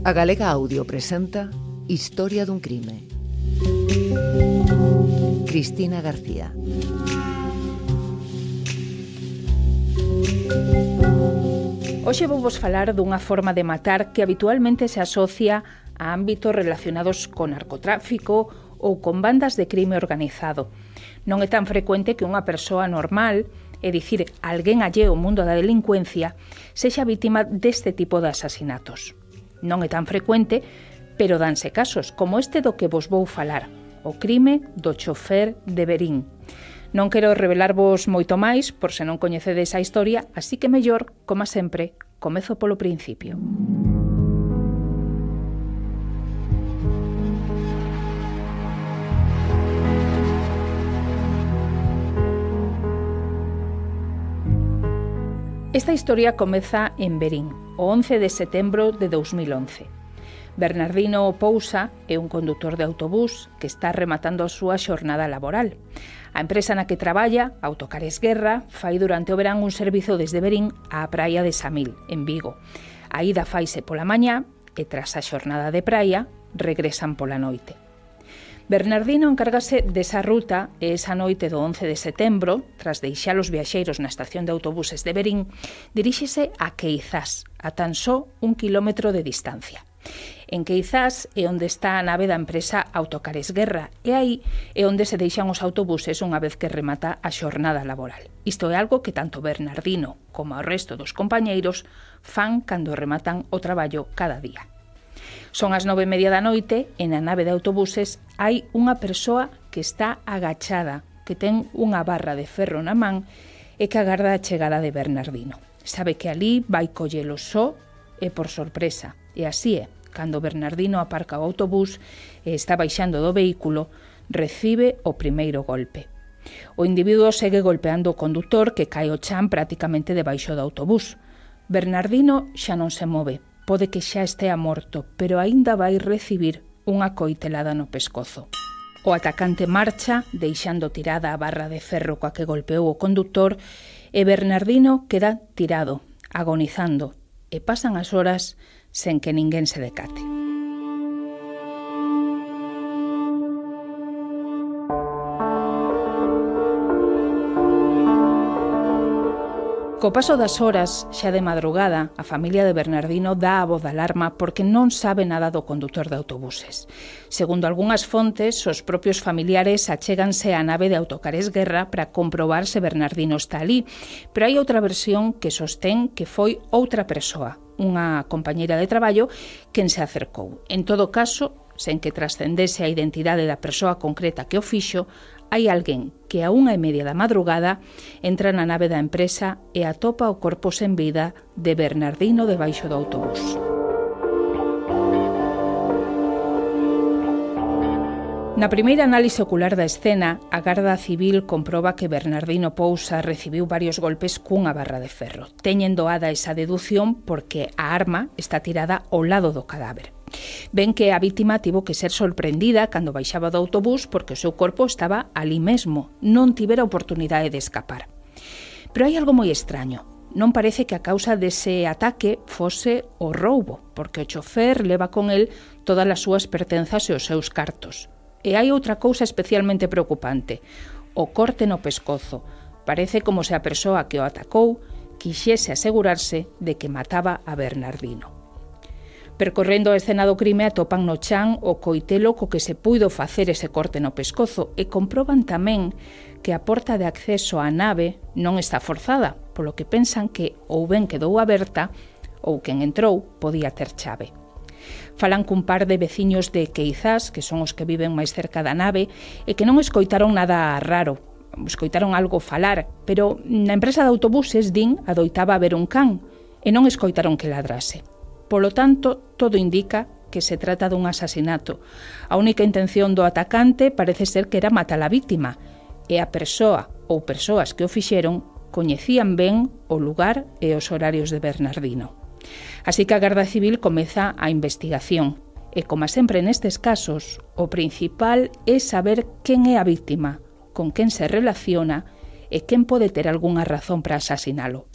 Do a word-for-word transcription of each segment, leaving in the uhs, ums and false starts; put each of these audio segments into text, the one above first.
A Galega Audio presenta Historia dun crime. Cristina García. Hoxe vou vos falar dunha forma de matar que habitualmente se asocia a ámbitos relacionados con narcotráfico ou con bandas de crime organizado. Non é tan frecuente que unha persoa normal, é dicir, alguén alleo ao mundo da delincuencia, sexa vítima deste tipo de asasinatos. Non é tan frecuente, pero danse casos, como este do que vos vou falar, o crime do chofer de Verín. Non quero revelarvos moito máis, por se non coñecedes a historia, así que mellor, como sempre, comezo polo principio. Esta historia comeza en Verín, o once de setembro de dous mil once. Bernardino Pousa é un condutor de autobús que está rematando a súa xornada laboral. A empresa na que traballa, Autocares Guerra, fai durante o verán un servizo desde Verín á praia de Samil, en Vigo. A ida faise pola mañá e tras a xornada de praia regresan pola noite. Bernardino encárgase desa ruta e esa noite do once de setembro, tras deixar os viaxeiros na estación de autobuses de Verín, diríxese a Queizás, a tan só un kilómetro de distancia. En Queizás é onde está a nave da empresa Autocares Guerra e aí é onde se deixan os autobuses unha vez que remata a xornada laboral. Isto é algo que tanto Bernardino como o resto dos compañeiros fan cando rematan o traballo cada día. Son as nove e media da noite e na nave de autobuses hai unha persoa que está agachada, que ten unha barra de ferro na man e que agarda a chegada de Bernardino. Sabe que ali vai collelo só e por sorpresa. E así é, cando Bernardino aparca o autobús e está baixando do vehículo, recibe o primeiro golpe. O individuo segue golpeando o condutor que cae ao chan prácticamente debaixo do autobús. Bernardino xa non se move. Pode que xa estea morto, pero aínda vai recibir unha coitelada no pescozo. O atacante marcha, deixando tirada a barra de ferro coa que golpeou o condutor, e Bernardino queda tirado, agonizando, e pasan as horas sen que ninguén se decate. Co paso das horas, xa de madrugada, a familia de Bernardino dá a voz de alarma porque non sabe nada do condutor de autobuses. Segundo algunhas fontes, os propios familiares achéganse á nave de Autocares Guerra para comprobar se Bernardino está ali, pero hai outra versión que sostén que foi outra persoa, unha compañeira de traballo, quen se acercou. En todo caso, sen que trascendese a identidade da persoa concreta que o fixo, hai alguén que a unha e media da madrugada entra na nave da empresa e atopa o corpo sen vida de Bernardino debaixo do autobús. Na primeira análise ocular da escena, a Garda Civil comproba que Bernardino Pousa recibiu varios golpes cunha barra de ferro. Teñen doada esa dedución porque a arma está tirada ao lado do cadáver. Ven que a vítima tivo que ser sorprendida cando baixaba do autobús porque o seu corpo estaba ali mesmo, non tivera oportunidade de escapar. Pero hai algo moi extraño. Non parece que a causa dese ataque fose o roubo, porque o chofer leva con el todas as súas pertenzas e os seus cartos. E hai outra cousa especialmente preocupante, o corte no pescozo. Parece como se a persoa que o atacou quixese asegurarse de que mataba a Bernardino. Percorrendo a escena do crime atopan no chan o coitelo co que se puido facer ese corte no pescozo e comproban tamén que a porta de acceso á nave non está forzada, polo que pensan que ou ben quedou aberta ou quen entrou podía ter chave. Falan cun par de veciños de Queizás, que son os que viven máis cerca da nave, e que non escoitaron nada raro. Escoitaron algo falar, pero na empresa de autobuses, din, adoitaba haber un can, e non escoitaron que ladrase. Polo tanto, todo indica que se trata dun asasinato. A única intención do atacante parece ser que era matar a vítima, e a persoa ou persoas que o fixeron coñecían ben o lugar e os horarios de Bernardino. Así que a Garda Civil comeza a investigación, e como sempre nestes casos, o principal é saber quen é a vítima, con quen se relaciona e quen pode ter algunha razón para asasinalo.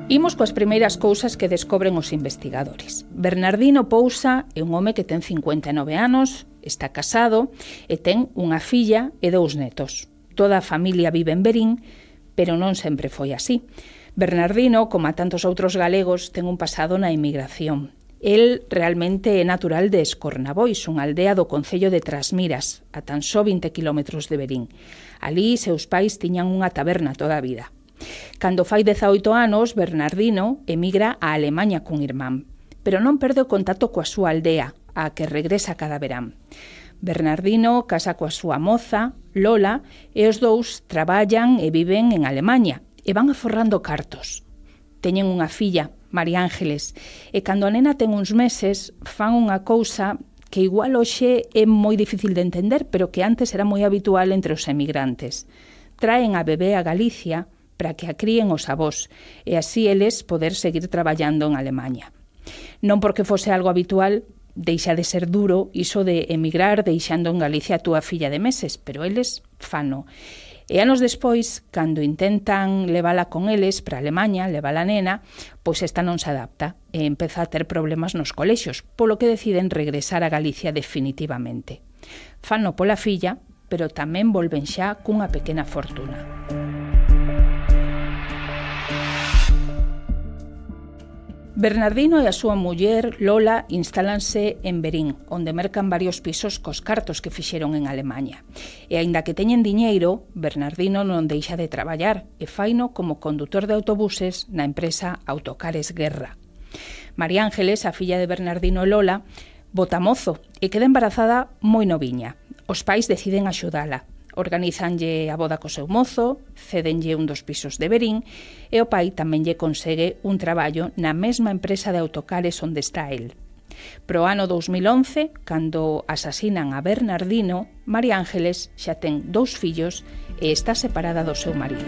Imos coas primeiras cousas que descobren os investigadores. Bernardino Pousa é un home que ten cincuenta e nove anos, está casado e ten unha filla e dous netos. Toda a familia vive en Verín, pero non sempre foi así. Bernardino, como a tantos outros galegos, ten un pasado na emigración. El realmente é natural de Escornabois, unha aldea do concello de Trasmiras, a tan só vinte quilómetros de Verín. Alí, seus pais tiñan unha taberna toda a vida. Cando fai dezaoito anos, Bernardino emigra a Alemaña cun irmán, pero non perde o contacto coa súa aldea, a que regresa cada verán. Bernardino casa coa súa moza, Lola, e os dous traballan e viven en Alemaña, e van aforrando cartos. Teñen unha filla, María Ángeles, e cando a nena ten uns meses, fan unha cousa que igual hoxe é moi difícil de entender, pero que antes era moi habitual entre os emigrantes. Traen a bebé a Galicia para que a críen os avós, e así eles poder seguir traballando en Alemaña. Non porque fose algo habitual, deixa de ser duro iso de emigrar deixando en Galicia a túa filla de meses, pero eles fano. E anos despois, cando intentan levala con eles para Alemaña, levala a nena, pois esta non se adapta e empeza a ter problemas nos colexios, polo que deciden regresar a Galicia definitivamente. Fano pola filla, pero tamén volven xa cunha pequena fortuna. Bernardino e a súa muller, Lola, instálanse en Verín, onde mercan varios pisos cos cartos que fixeron en Alemaña. E aínda que teñen diñeiro, Bernardino non deixa de traballar e faino como condutor de autobuses na empresa Autocares Guerra. María Ángeles, a filla de Bernardino e Lola, bota mozo e queda embarazada moi noviña. Os pais deciden axudala. Organizanlle a boda co seu mozo, cédenlle un dos pisos de Verín e o pai tamén lle consegue un traballo na mesma empresa de autocares onde está el. Pro ano dous mil once, cando asasinan a Bernardino, María Ángeles xa ten dous fillos e está separada do seu marido.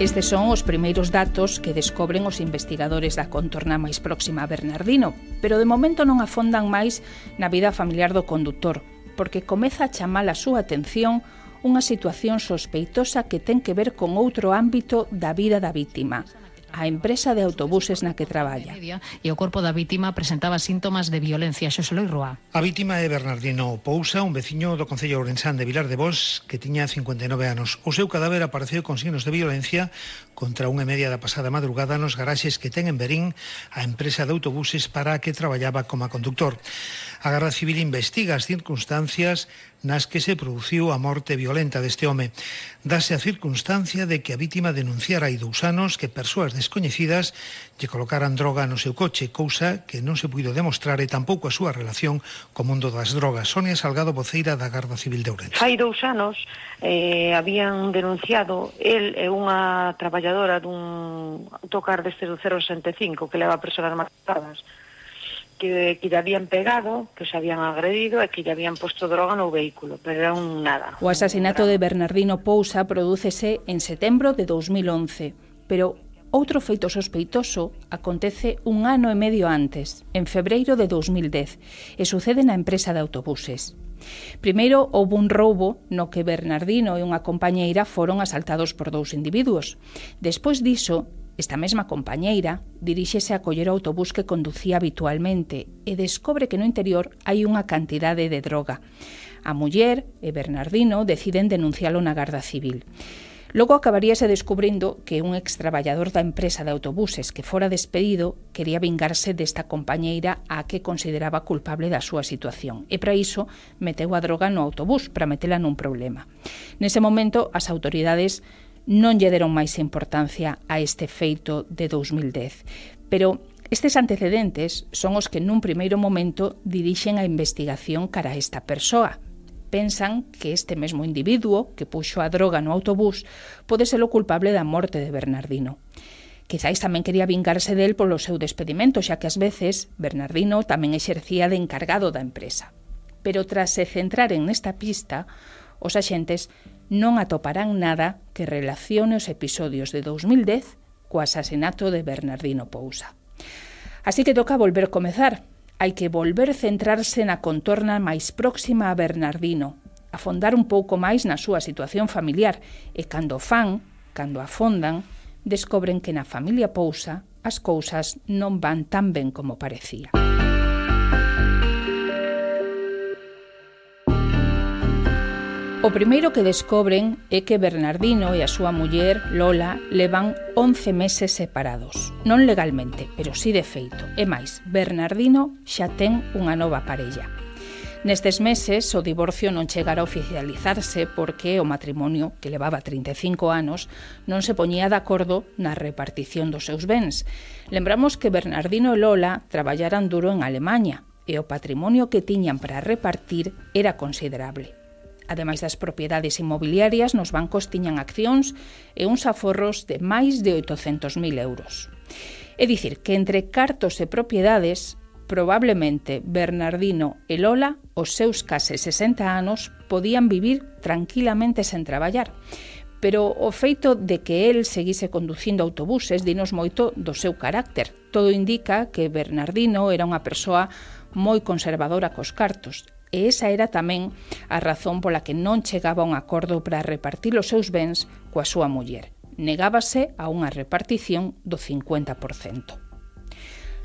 Estes son os primeiros datos que descobren os investigadores da contorna máis próxima a Bernardino, pero de momento non afondan máis na vida familiar do condutor, porque comeza a chamar a súa atención unha situación sospeitosa que ten que ver con outro ámbito da vida da vítima, a empresa de autobuses na que traballa. E o corpo da vítima presentaba síntomas de violencia. Xosé Loi Roa. A vítima é Bernardino Pousa, un veciño do concello ourensán de Vilar de Bos, que tiña cincuenta e nove anos. O seu cadáver apareceu con signos de violencia contra unha e media da pasada madrugada nos garaxes que ten en Verín a empresa de autobuses para a que traballaba como conductor. A Garda Civil investiga as circunstancias nas que se produciu a morte violenta deste home. Dase a circunstancia de que a vítima denunciara hai dous anos que persoas descoñecidas lle colocaran droga no seu coche, cousa que non se puido demostrar e tampouco a súa relación co mundo das drogas. Sonia Salgado, voceira da Garda Civil de Ourense. Hai dous anos eh, habían denunciado el e unha traballadora dun autocar deste do cero sesenta e cinco que leva persoas matadas, que, que lle habían pegado, que se habían agredido e que lle habían posto droga no vehículo, pero era un nada. O asasinato de Bernardino Pousa prodúcese en setembro de dous mil once, pero outro feito sospeitoso acontece un ano e medio antes, en febreiro de dous mil dez, e sucede na empresa de autobuses. Primeiro, houve un roubo no que Bernardino e unha compañeira foron asaltados por dous individuos. Despois diso, esta mesma compañeira diríxese a coller o autobús que conducía habitualmente e descobre que no interior hai unha cantidade de droga. A muller e Bernardino deciden denuncialo na Garda Civil. Logo acabaríase descubrindo que un extraballador da empresa de autobuses que fora despedido quería vingarse desta compañeira a que consideraba culpable da súa situación. E para iso meteu a droga no autobús para metela nun problema. Nese momento, as autoridades non lle deron máis importancia a este feito de dous mil dez. Pero estes antecedentes son os que nun primeiro momento dirixen a investigación cara a esta persoa. Pensan que este mesmo individuo que puxo a droga no autobús pode ser o culpable da morte de Bernardino. Quizáis tamén quería vingarse del polo seu despedimento, xa que ás veces Bernardino tamén exercía de encargado da empresa. Pero tras se centraren nesta pista, os axentes non atoparán nada que relacione os episodios de dous mil dez co asasinato de Bernardino Pousa. Así que toca volver comezar. Hai que volver centrarse na contorna máis próxima a Bernardino, afondar un pouco máis na súa situación familiar e cando fan, cando afondan, descobren que na familia Pousa as cousas non van tan ben como parecía. O primeiro que descobren é que Bernardino e a súa muller, Lola, levan once meses separados. Non legalmente, pero sí de feito. E máis, Bernardino xa ten unha nova parella. Nestes meses, o divorcio non chegara a oficializarse porque o matrimonio, que levaba trinta e cinco anos, non se poñía de acordo na repartición dos seus bens. Lembramos que Bernardino e Lola traballaran duro en Alemanha e o patrimonio que tiñan para repartir era considerable. Ademais das propiedades inmobiliarias, nos bancos tiñan accións e uns aforros de máis de oitocentos mil euros. É dicir, que entre cartos e propiedades, probablemente Bernardino e Lola, os seus case sesenta anos, podían vivir tranquilamente sen traballar. Pero o feito de que el seguise conducindo autobuses dinos moito do seu carácter. Todo indica que Bernardino era unha persoa moi conservadora cos cartos. E esa era tamén a razón pola que non chegaba a un acordo para repartir os seus bens coa súa muller. Negábase a unha repartición do cincuenta por cento.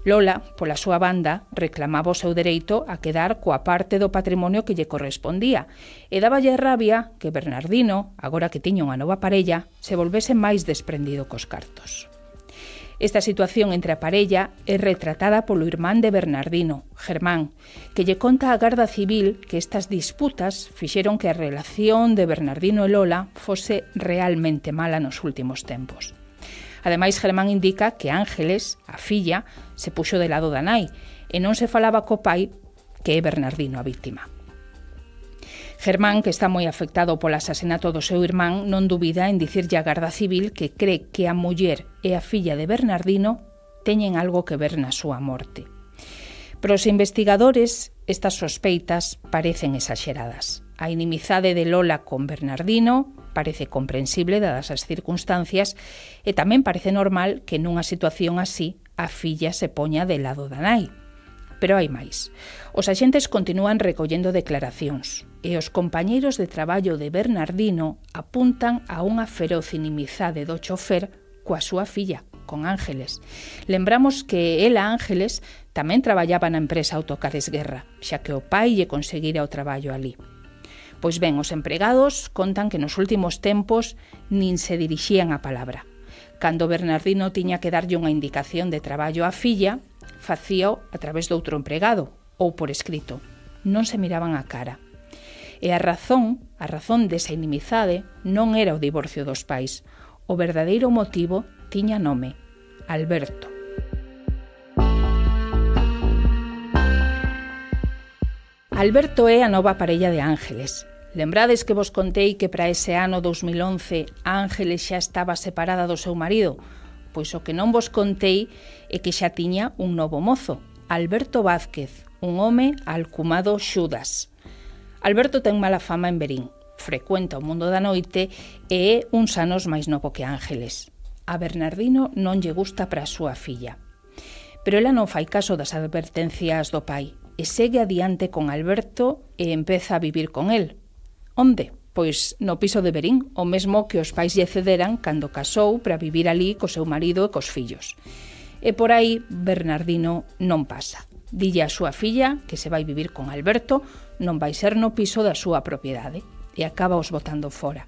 Lola, pola súa banda, reclamaba o seu dereito a quedar coa parte do patrimonio que lle correspondía e dáballe rabia que Bernardino, agora que tiña unha nova parella, se volvese máis desprendido cos cartos. Esta situación entre a parella é retratada polo irmán de Bernardino, Germán, que lle conta á Garda Civil que estas disputas fixeron que a relación de Bernardino e Lola fose realmente mala nos últimos tempos. Ademais, Germán indica que Ángeles, a filla, se puxo de lado da nai e non se falaba co pai, que é Bernardino a vítima. Germán, que está moi afectado polo asasinato do seu irmán, non dubida en dicirlle á Garda Civil que cree que a muller e a filla de Bernardino teñen algo que ver na súa morte. Pero os investigadores, estas sospeitas parecen exaxeradas. A inimizade de Lola con Bernardino parece comprensible dadas as circunstancias e tamén parece normal que nunha situación así a filla se poña de lado da nai. Pero hai máis. Os axentes continúan recollendo declaracións e os compañeiros de traballo de Bernardino apuntan a unha feroz inimizade do chofer coa súa filla, con Ángeles. Lembramos que ela, Ángeles, tamén traballaba na empresa Autocares Guerra, xa que o pai lle conseguira o traballo ali. Pois ben, os empregados contan que nos últimos tempos nin se dirixían a palabra. Cando Bernardino tiña que darlle unha indicación de traballo á filla, facíao a través de outro empregado ou por escrito. Non se miraban a cara. E a razón, a razón desa inimizade non era o divorcio dos pais. O verdadeiro motivo tiña nome: Alberto. Alberto é a nova parella de Ángeles. Lembrades que vos contei que para ese ano dous mil once Ángeles xa estaba separada do seu marido? Pois o que non vos contei é que xa tiña un novo mozo, Alberto Vázquez, un home alcumado Xudas. Alberto ten mala fama en Verín, frecuenta o mundo da noite e é uns anos máis novo que Ángeles. A Bernardino non lle gusta para a súa filla. Pero ela non fai caso das advertencias do pai e segue adiante con Alberto e empeza a vivir con el. Onde? Pois no piso de Verín, o mesmo que os pais lle cederan cando casou para vivir ali co seu marido e cos fillos. E por aí Bernardino non pasa. Dille a súa filla que se vai vivir con Alberto, non vai ser no piso da súa propiedade, e acaba os botando fora.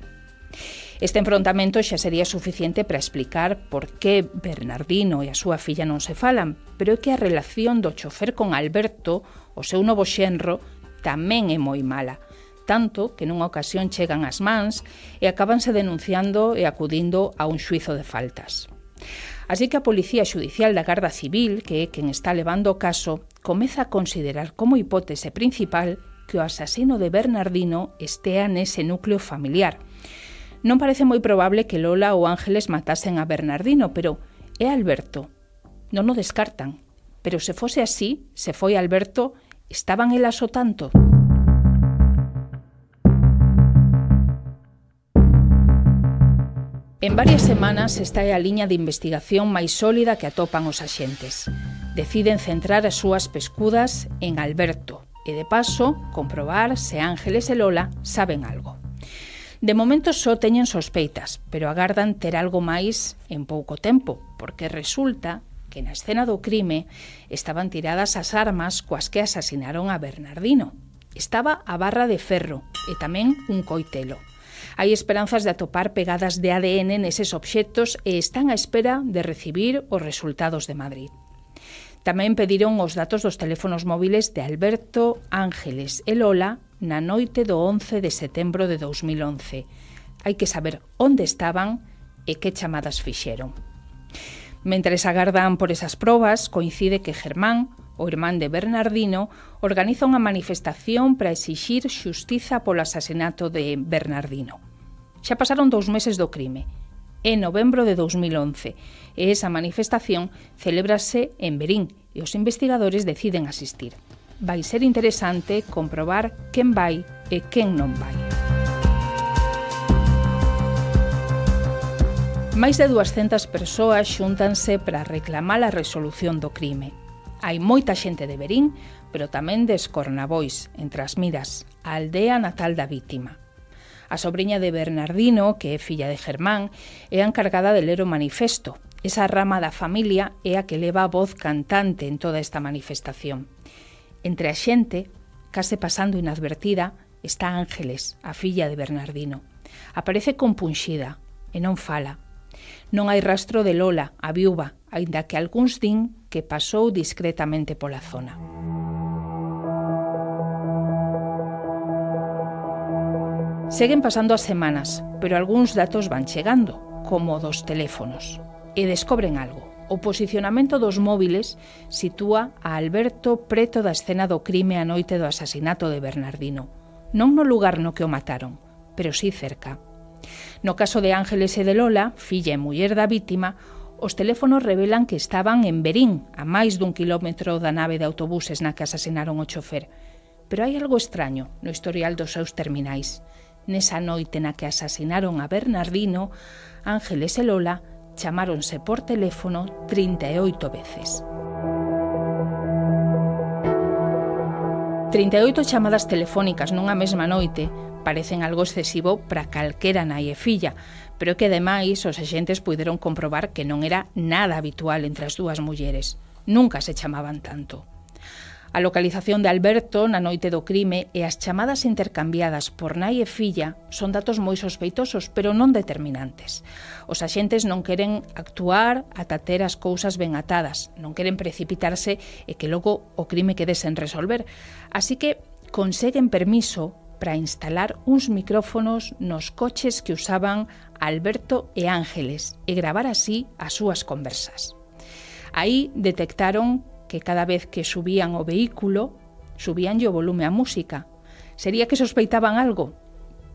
Este enfrontamento xa sería suficiente para explicar por que Bernardino e a súa filla non se falan, pero é que a relación do chofer con Alberto, o seu novo xenro, tamén é moi mala, tanto que nunha ocasión chegan as mans e acábanse denunciando e acudindo a un xuizo de faltas. Así que a Policía Xudicial da Garda Civil, que é quen está levando o caso, comeza a considerar como hipótese principal que o asasino de Bernardino estea nese núcleo familiar. Non parece moi probable que Lola ou Ángeles matasen a Bernardino, pero é Alberto. Non o descartan. Pero se fose así, se foi Alberto, estaban elas o tanto? En varias semanas esta é a liña de investigación máis sólida que atopan os axentes. Deciden centrar as súas pescudas en Alberto e, de paso, comprobar se Ángeles e Lola saben algo. De momento só teñen sospeitas, pero agardan ter algo máis en pouco tempo, porque resulta que na escena do crime estaban tiradas as armas coas que asasinaron a Bernardino. Estaba a barra de ferro e tamén un coitelo. Hai esperanzas de atopar pegadas de A D N neses obxectos e están á espera de recibir os resultados de Madrid. Tamén pediron os datos dos teléfonos móviles de Alberto, Ángeles e Lola na noite do once de setembro de dous mil once. Hai que saber onde estaban e que chamadas fixeron. Mentres agardan por esas probas, coincide que Germán, o irmán de Bernardino, organiza unha manifestación para exixir xustiza polo asasinato de Bernardino. Xa pasaron dous meses do crime, é novembro de dous mil once, e esa manifestación celébrase en Verín e os investigadores deciden asistir. Vai ser interesante comprobar quen vai e quen non vai. Mais de duascentas persoas xúntanse para reclamar a resolución do crime. Hai moita xente de Verín, pero tamén de Escornabois, entre as Miras, a aldea natal da vítima. A sobriña de Bernardino, que é filla de Germán, é a encargada de ler o manifesto. Esa rama da familia é a que leva a voz cantante en toda esta manifestación. Entre a xente, case pasando inadvertida, está Ángeles, a filla de Bernardino. Aparece compunxida e non fala. Non hai rastro de Lola, a viúva, aínda que algúns din que pasou discretamente pola zona. Seguen pasando as semanas, pero algúns datos van chegando, como dos teléfonos. E descobren algo. O posicionamento dos móviles sitúa a Alberto preto da escena do crime a noite do asasinato de Bernardino. Non no lugar no que o mataron, pero sí cerca. No caso de Ángeles e de Lola, filla e muller da vítima, os teléfonos revelan que estaban en Verín, a máis dun quilómetro da nave de autobuses na que asasinaron o chofer. Pero hai algo extraño no historial dos seus terminais. Nesa noite na que asasinaron a Bernardino, Ángeles e Lola chamáronse por teléfono trinta e oito veces. trinta e oito chamadas telefónicas nunha mesma noite parecen algo excesivo para calquera nai e filla, pero que ademais os axentes puideron comprobar que non era nada habitual entre as dúas mulleres. Nunca se chamaban tanto. A localización de Alberto na noite do crime e as chamadas intercambiadas por nai e filla son datos moi sospeitosos, pero non determinantes. Os axentes non queren actuar ata ter as cousas ben atadas, non queren precipitarse e que logo o crime quede sen resolver. Así que conseguen permiso para instalar uns micrófonos nos coches que usaban Alberto e Ángeles e gravar así as súas conversas. Aí detectaron que cada vez que subían o vehículo, subíanlle o volume á música. Sería que sospeitaban algo?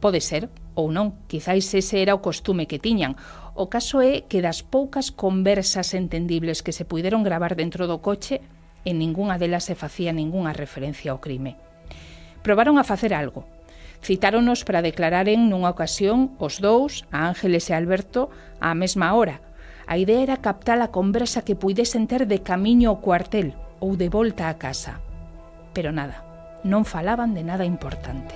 Pode ser, ou non, quizáis ese era o costume que tiñan. O caso é que das poucas conversas entendibles que se puideron gravar dentro do coche, en ningunha delas se facía ningunha referencia ao crime. Probaron a facer algo. Citáronos para declararen nunha ocasión os dous, a Ángeles e Alberto, á mesma hora. A idea era captar a conversa que puidesen ter de camiño ao cuartel ou de volta á casa. Pero nada, non falaban de nada importante.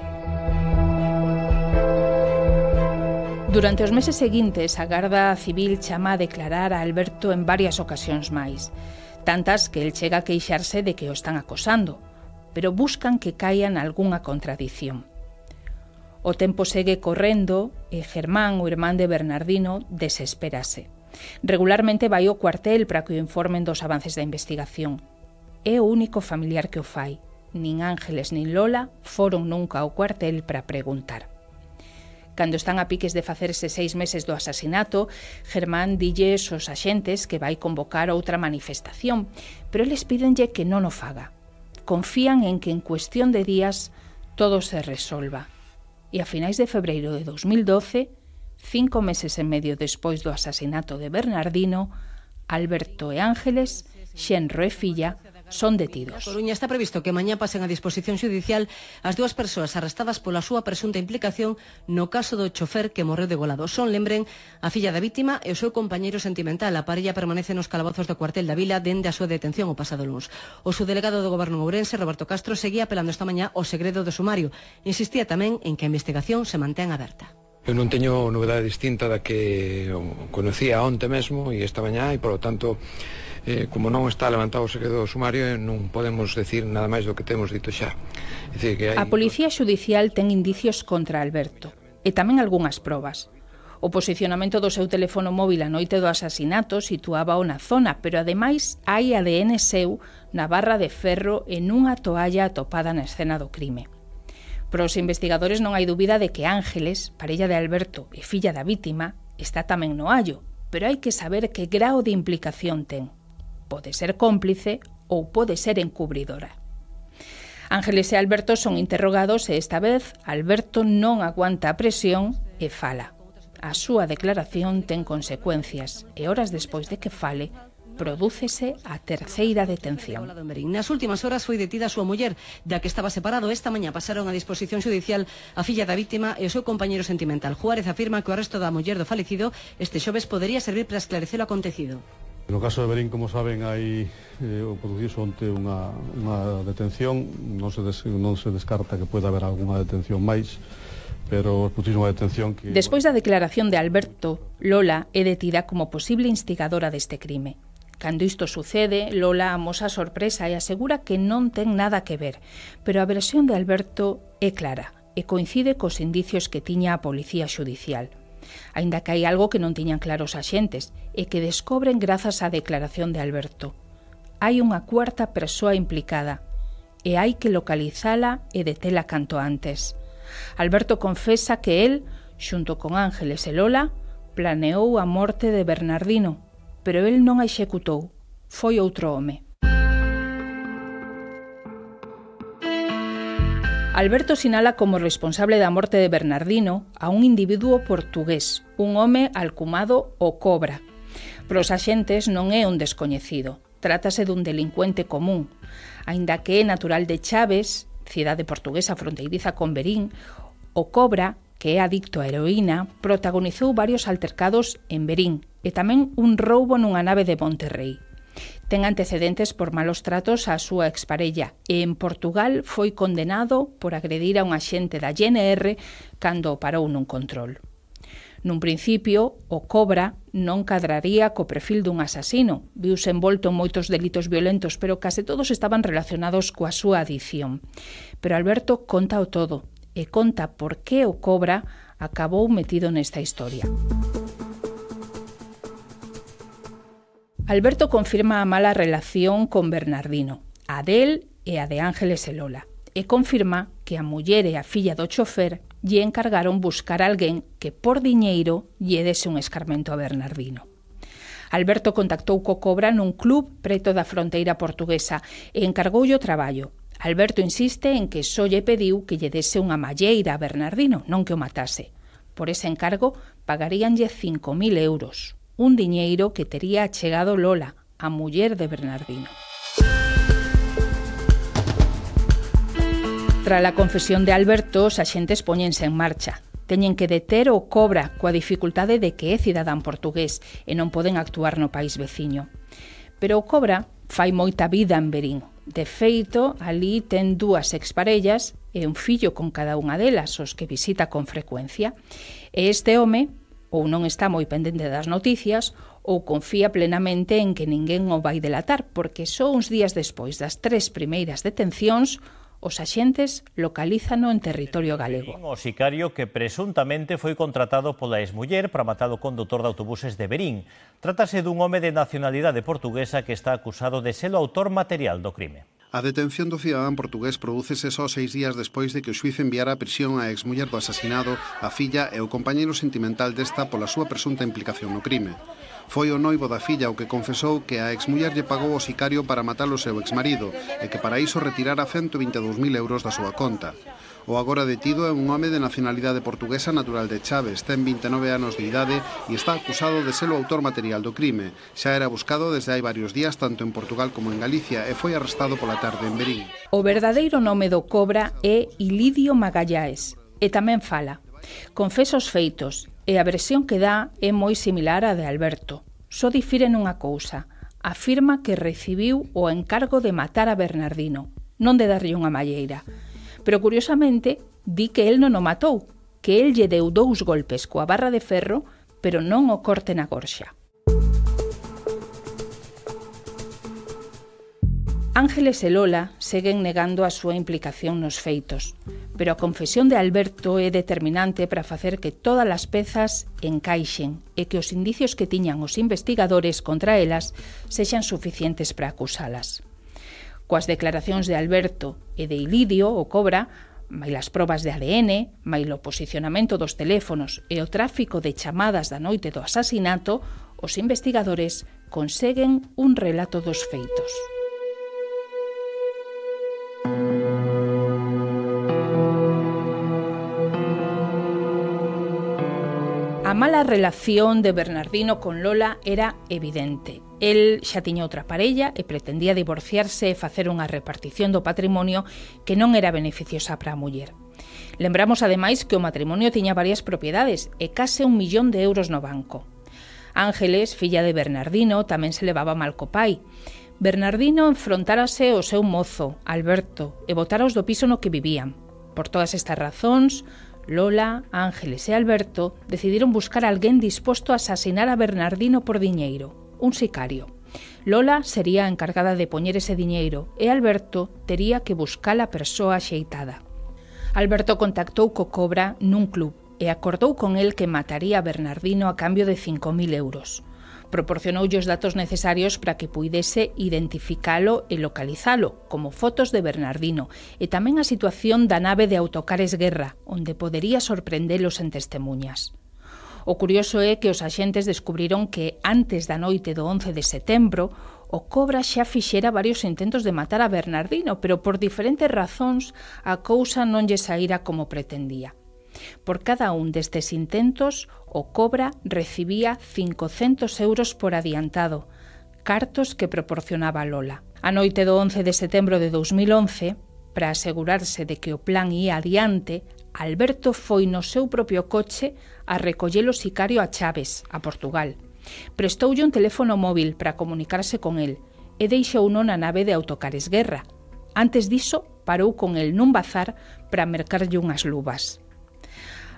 Durante os meses seguintes, a Garda Civil chama a declarar a Alberto en varias ocasións máis, tantas que el chega a queixarse de que o están acosando, pero buscan que caian algunha contradición. O tempo segue correndo e Germán, o irmán de Bernardino, desespérase. Regularmente vai ao cuartel para que o informen dos avances da investigación. É o único familiar que o fai. Nin Ángeles nin Lola foron nunca ao cuartel para preguntar. Cando están a piques de facerse seis meses do asasinato, Germán dilles aos axentes que vai convocar outra manifestación, pero eles pídenlle que non o faga. Confían en que en cuestión de días todo se resolva. E a finais de febreiro de dous mil doce, cinco meses e medio despois do asasinato de Bernardino, Alberto e Ángeles, xenro e filla, son detidos. A Coruña está previsto que mañá pasen a disposición xudicial as dúas persoas arrestadas pola súa presunta implicación no caso do chofer que morreu degolado. Son, lembren, a filla da vítima e o seu compañeiro sentimental. A parella permanece nos calabozos do cuartel da vila dende a súa detención o pasado luns. O subdelegado do Goberno ourense, Roberto Castro, seguía apelando esta mañá ao segredo do sumario. Insistía tamén en que a investigación se mantén aberta. Eu non teño novedade distinta da que conocía onte mesmo e esta mañá e, polo tanto, eh, como non está levantado o segredo sumario, non podemos decir nada máis do que temos dito xa. É dicir, que hai... A Policía Xudicial ten indicios contra Alberto e tamén algunhas probas. O posicionamento do seu teléfono móvil a noite do asasinato situábao na zona, pero ademais hai A D N seu na barra de ferro e nunha toalla atopada na escena do crime. Para os investigadores non hai dúbida de que Ángeles, parella de Alberto e filla da vítima, está tamén no hallo, pero hai que saber que grao de implicación ten. Pode ser cómplice ou pode ser encubridora. Ángeles e Alberto son interrogados e esta vez Alberto non aguanta a presión e fala. A súa declaración ten consecuencias e horas despois de que fale, prodúcese a terceira detención. Nas últimas horas foi detida a súa muller, da que estaba separado. Esta mañá pasaron a disposición xudicial a filla da vítima e o seu compañeiro sentimental. Juárez afirma que o arresto da muller do falecido este xoves podería servir para esclarecer o acontecido. No caso de Berín, como saben, hai eh, o producido onte unha, unha detención. Non se, des, non se descarta que pueda haber algunha detención máis, pero puxísimo a detención que... Despois da declaración de Alberto, Lola é detida como posible instigadora deste crime. Cando isto sucede, Lola amosa sorpresa e asegura que non ten nada que ver, pero a versión de Alberto é clara e coincide cos indicios que tiña a Policía Xudicial. Aínda que hai algo que non tiñan claros os axentes e que descobren grazas á declaración de Alberto. Hai unha cuarta persoa implicada e hai que localizala e detela canto antes. Alberto confesa que el, xunto con Ángeles e Lola, planeou a morte de Bernardino, pero el non a executou, foi outro home. Alberto sinala como responsable da morte de Bernardino a un individuo portugués, un home alcumado o Cobra. Para os axentes non é un descoñecido, trátase dun delincuente común, aínda que é natural de Chaves, cidade portuguesa fronteiriza con Verín, o Cobra, que é adicto a heroína, protagonizou varios altercados en Verín e tamén un roubo nunha nave de Monterrey. Ten antecedentes por malos tratos á súa exparella e en Portugal foi condenado por agredir a un axente da G N R cando o parou nun control. Nun principio, o Cobra non cadraría co perfil dun asasino, viuse envolto en moitos delitos violentos, pero case todos estaban relacionados coa súa adicción. Pero Alberto conta o todo, e conta por que o Cobra acabou metido nesta historia. Alberto confirma a mala relación con Bernardino, a del e a de Ángeles e Lola, e confirma que a muller e a filla do chofer lle encargaron buscar a alguén que por diñeiro lle dese un escarmento a Bernardino. Alberto contactou co Cobra nun club preto da fronteira portuguesa e encargoulle o traballo. Alberto insiste en que só lle pediu que lle dese unha malleira a Bernardino, non que o matase. Por ese encargo pagaríanlle cinco mil euros, un diñeiro que tería achegado Lola, a muller de Bernardino. Tras a confesión de Alberto, os axentes poñense en marcha. Teñen que deter o Cobra coa dificultade de que é cidadán portugués e non poden actuar no país veciño. Pero o Cobra fai moita vida en Verín. De feito, ali ten dúas exparellas e un fillo con cada unha delas, os que visita con frecuencia. E este home, ou non está moi pendente das noticias, ou confía plenamente en que ninguén o vai delatar, porque só uns días despois das tres primeiras detencións, os axentes localízano en territorio galego. O sicario que presuntamente foi contratado pola exmuller para matar o condutor de autobuses de Verín. Trátase dun home de nacionalidade portuguesa que está acusado de ser o autor material do crime. A detención do cidadán portugués prodúcese só seis días despois de que o xuíz enviara a prisión á exmuller do asasinado, a filla e o compañeiro sentimental desta pola súa presunta implicación no crime. Foi o noivo da filla o que confesou que a exmuller lle pagou o sicario para matar o seu exmarido e que para iso retirara ciento vinte e dous mil euros da súa conta. O agora detido é un home de nacionalidade portuguesa natural de Chaves, ten vinte e nove anos de idade e está acusado de ser o autor material do crime. Xa era buscado desde hai varios días tanto en Portugal como en Galicia e foi arrestado pola tarde en Verín. O verdadeiro nome do Cobra é Ilidio Magallaes e tamén fala. Confesa os feitos e a versión que dá é moi similar á de Alberto. Só difire nunha cousa. Afirma que recibiu o encargo de matar a Bernardino, non de darlle unha malleira. Pero curiosamente, di que el non o matou, que el lle deu dous golpes coa barra de ferro, pero non o corte na gorxa. Ángeles e Lola seguen negando a súa implicación nos feitos, pero a confesión de Alberto é determinante para facer que todas as pezas encaixen e que os indicios que tiñan os investigadores contra elas sexan suficientes para acusalas. Coas declaracións de Alberto e de Ilidio, o Cobra, mai as probas de A D N, mai o posicionamento dos teléfonos e o tráfico de chamadas da noite do asasinato, os investigadores conseguen un relato dos feitos. A mala relación de Bernardino con Lola era evidente. El xa tiña outra parella e pretendía divorciarse e facer unha repartición do patrimonio que non era beneficiosa para a muller. Lembramos ademais que o matrimonio tiña varias propiedades e case un millón de euros no banco. Ángeles, filla de Bernardino, tamén se levaba mal co pai. Bernardino enfrontárase ao seu mozo, Alberto, e botáraos do piso no que vivían. Por todas estas razóns, Lola, Ángeles e Alberto decidiron buscar a alguén disposto a asasinar a Bernardino por diñeiro, un sicario. Lola sería a encargada de poñer ese diñeiro e Alberto tería que buscar a persoa axeitada. Alberto contactou co Cobra nun club e acordou con el que mataría a Bernardino a cambio de cinco mil euros. Proporcionoulle os datos necesarios para que puidese identificalo e localizalo, como fotos de Bernardino, e tamén a situación da nave de Autocares Guerra, onde podería sorprendelos en testemunhas. O curioso é que os axentes descubriron que, antes da noite do once de setembro, o Cobra xa fixera varios intentos de matar a Bernardino, pero por diferentes razóns a cousa non lle saíra como pretendía. Por cada un destes intentos, o Cobra recibía cincocentos euros por adiantado, cartos que proporcionaba Lola. A noite do once de setembro de dous mil once, para asegurarse de que o plan ia adiante, Alberto foi no seu propio coche a recoller o sicario a Chaves, a Portugal. Prestoulle un teléfono móvil para comunicarse con el e deixouno na nave de Autocares Guerra. Antes diso, parou con el nun bazar para mercarlle unhas luvas.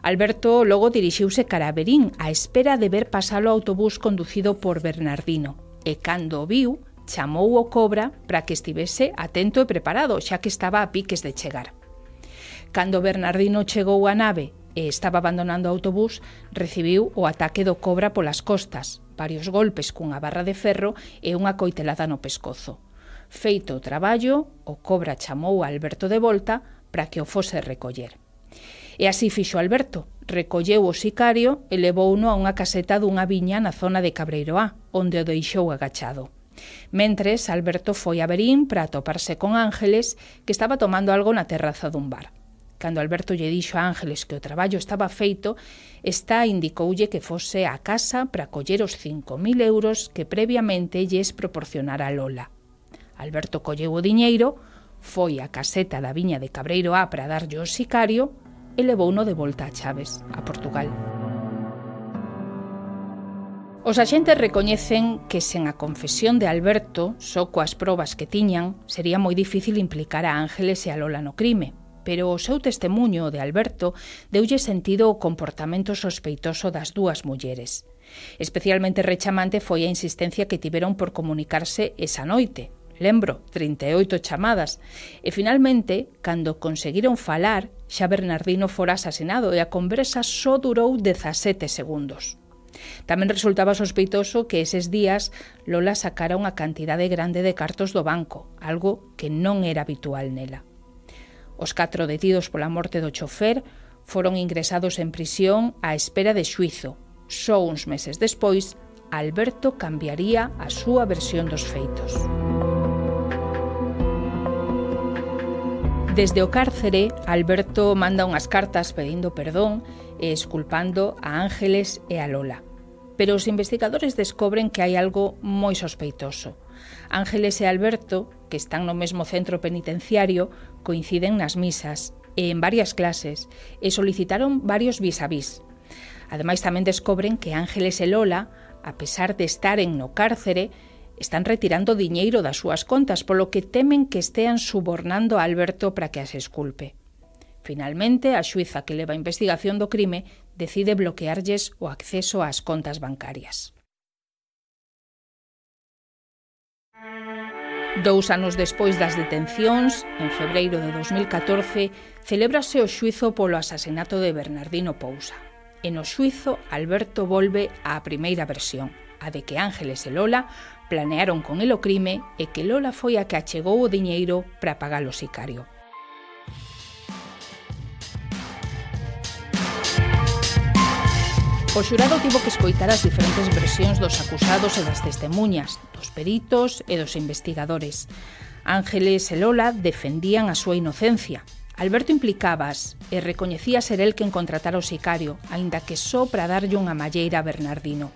Alberto logo dirixiuse cara a Verín á espera de ver pasar o autobús conducido por Bernardino e cando o viu, chamou o Cobra para que estivese atento e preparado, xa que estaba a piques de chegar. Cando Bernardino chegou á nave e estaba abandonando o autobús, recibiu o ataque do Cobra polas costas, varios golpes cunha barra de ferro e unha coitelada no pescozo. Feito o traballo, o Cobra chamou a Alberto de volta para que o fose recoller. E así fixo Alberto, recolleu o sicario e levouno a unha caseta dunha viña na zona de Cabreiroá, onde o deixou agachado. Mentres, Alberto foi a Verín para atoparse con Ángeles, que estaba tomando algo na terraza dun bar. Cando Alberto lle dixo a Ángeles que o traballo estaba feito, esta indicoulle que fose á casa para coller os cinco mil euros que previamente lles proporcionara Lola. Alberto colleu o diñeiro, foi á caseta da viña de Cabreiroá para darlle o sicario e levouno de volta a Chaves, a Portugal. Os axentes recoñecen que sen a confesión de Alberto, só coas probas que tiñan, sería moi difícil implicar a Ángeles e a Lola no crime, pero o seu testemuño de Alberto deulle sentido ao comportamento sospeitoso das dúas mulleres. Especialmente rechamante foi a insistencia que tiveron por comunicarse esa noite. Lembro, trinta e oito chamadas, e finalmente, cando conseguiron falar, xa Bernardino fora asasinado e a conversa só durou dezasete segundos. Tamén resultaba sospeitoso que eses días Lola sacara unha cantidade grande de cartos do banco, algo que non era habitual nela. Os catro detidos pola morte do chofer foron ingresados en prisión á espera de xuizo. Só uns meses despois, Alberto cambiaría a súa versión dos feitos. Desde o cárcere, Alberto manda unhas cartas pedindo perdón e esculpando a Ángeles e a Lola. Pero os investigadores descobren que hai algo moi sospeitoso. Ángeles e Alberto, que están no mesmo centro penitenciario, coinciden nas misas e en varias clases e solicitaron varios vis a vis. Ademais, tamén descobren que Ángeles e Lola, a pesar de estaren no cárcere, están retirando diñeiro das súas contas, polo que temen que estean subornando a Alberto para que as esculpe. Finalmente, a xuíza que leva a investigación do crime decide bloquearlles o acceso ás contas bancarias. Dous anos despois das detencións, en febreiro de dos mil catorce, celébrase o xuízo polo asasinato de Bernardino Pousa. E no xuízo, Alberto volve á primeira versión, a de que Ángeles e Lola planearon con el o crime e que Lola foi a que achegou o diñeiro para pagar o sicario. O xurado tivo que escoitar as diferentes versións dos acusados e das testemunhas, dos peritos e dos investigadores. Ángeles e Lola defendían a súa inocencia. Alberto implicabas e recoñecía ser el quen contratara o sicario, aínda que só para darlle unha malleira a Bernardino.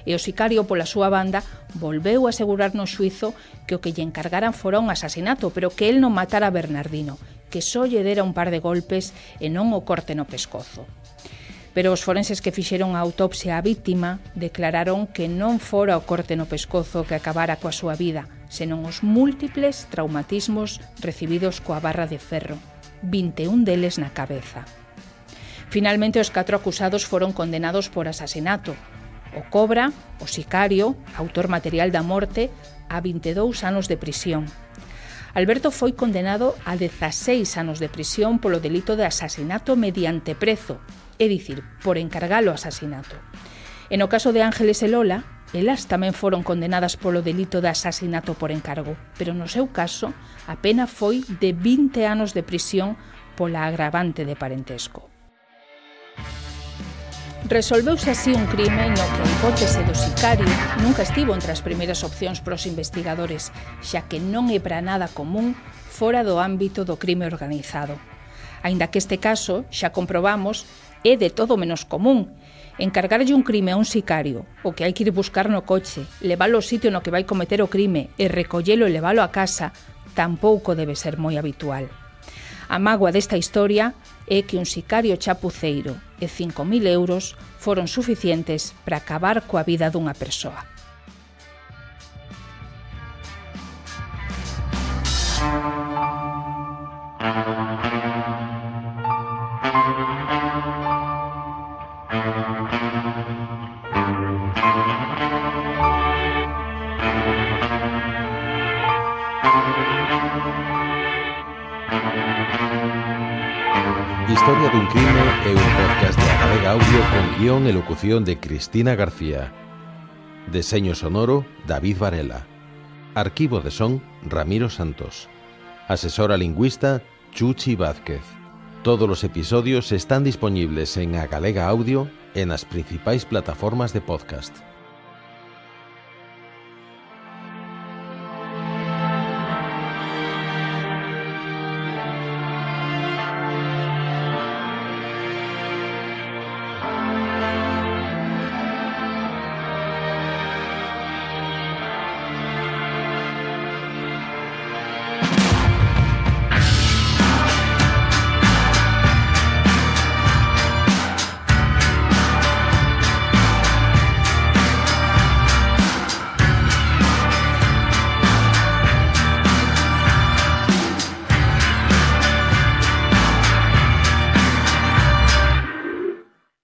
E o sicario, pola súa banda, volveu a asegurar no xuízo que o que lle encargaran fora un asasinato, pero que el non matara a Bernardino, que só lle dera un par de golpes e non o corte no pescozo. Pero os forenses que fixeron a autopsia á víctima declararon que non fora o corte no pescozo que acabara coa súa vida, senón os múltiples traumatismos recibidos coa barra de ferro, vinte e un deles na cabeza. Finalmente, os catro acusados foron condenados por asasinato. O Cobra, o sicario, autor material da morte, a vinte e dous anos de prisión. Alberto foi condenado a dezaseis anos de prisión polo delito de asasinato mediante prezo, é dicir, por encargalo asasinato. E no caso de Ángeles e Lola, elas tamén foron condenadas polo delito de asasinato por encargo, pero no seu caso, a pena foi de vinte anos de prisión pola agravante de parentesco. Resolveuse así un crime no que a hipótese do sicario nunca estivo entre as primeiras opcións pros investigadores, xa que non é para nada común fora do ámbito do crime organizado. Aínda que este caso, xa comprobamos, é de todo menos común. Encargarlle un crime a un sicario, o que hai que ir buscar no coche, leválo ao sitio no que vai cometer o crime e recollelo e leválo a casa, tampouco debe ser moi habitual. A mágoa desta historia é que un sicario chapuceiro e cinco mil euros foron suficientes para acabar coa vida dunha persoa. Historia dun crime é un podcast de Agalega Audio con guión e locución de Cristina García. Deseño sonoro, David Varela. Arquivo de son, Ramiro Santos. Asesora lingüista, Chuchi Vázquez. Todos los episodios están disponibles en Agalega Audio en las principais plataformas de podcast.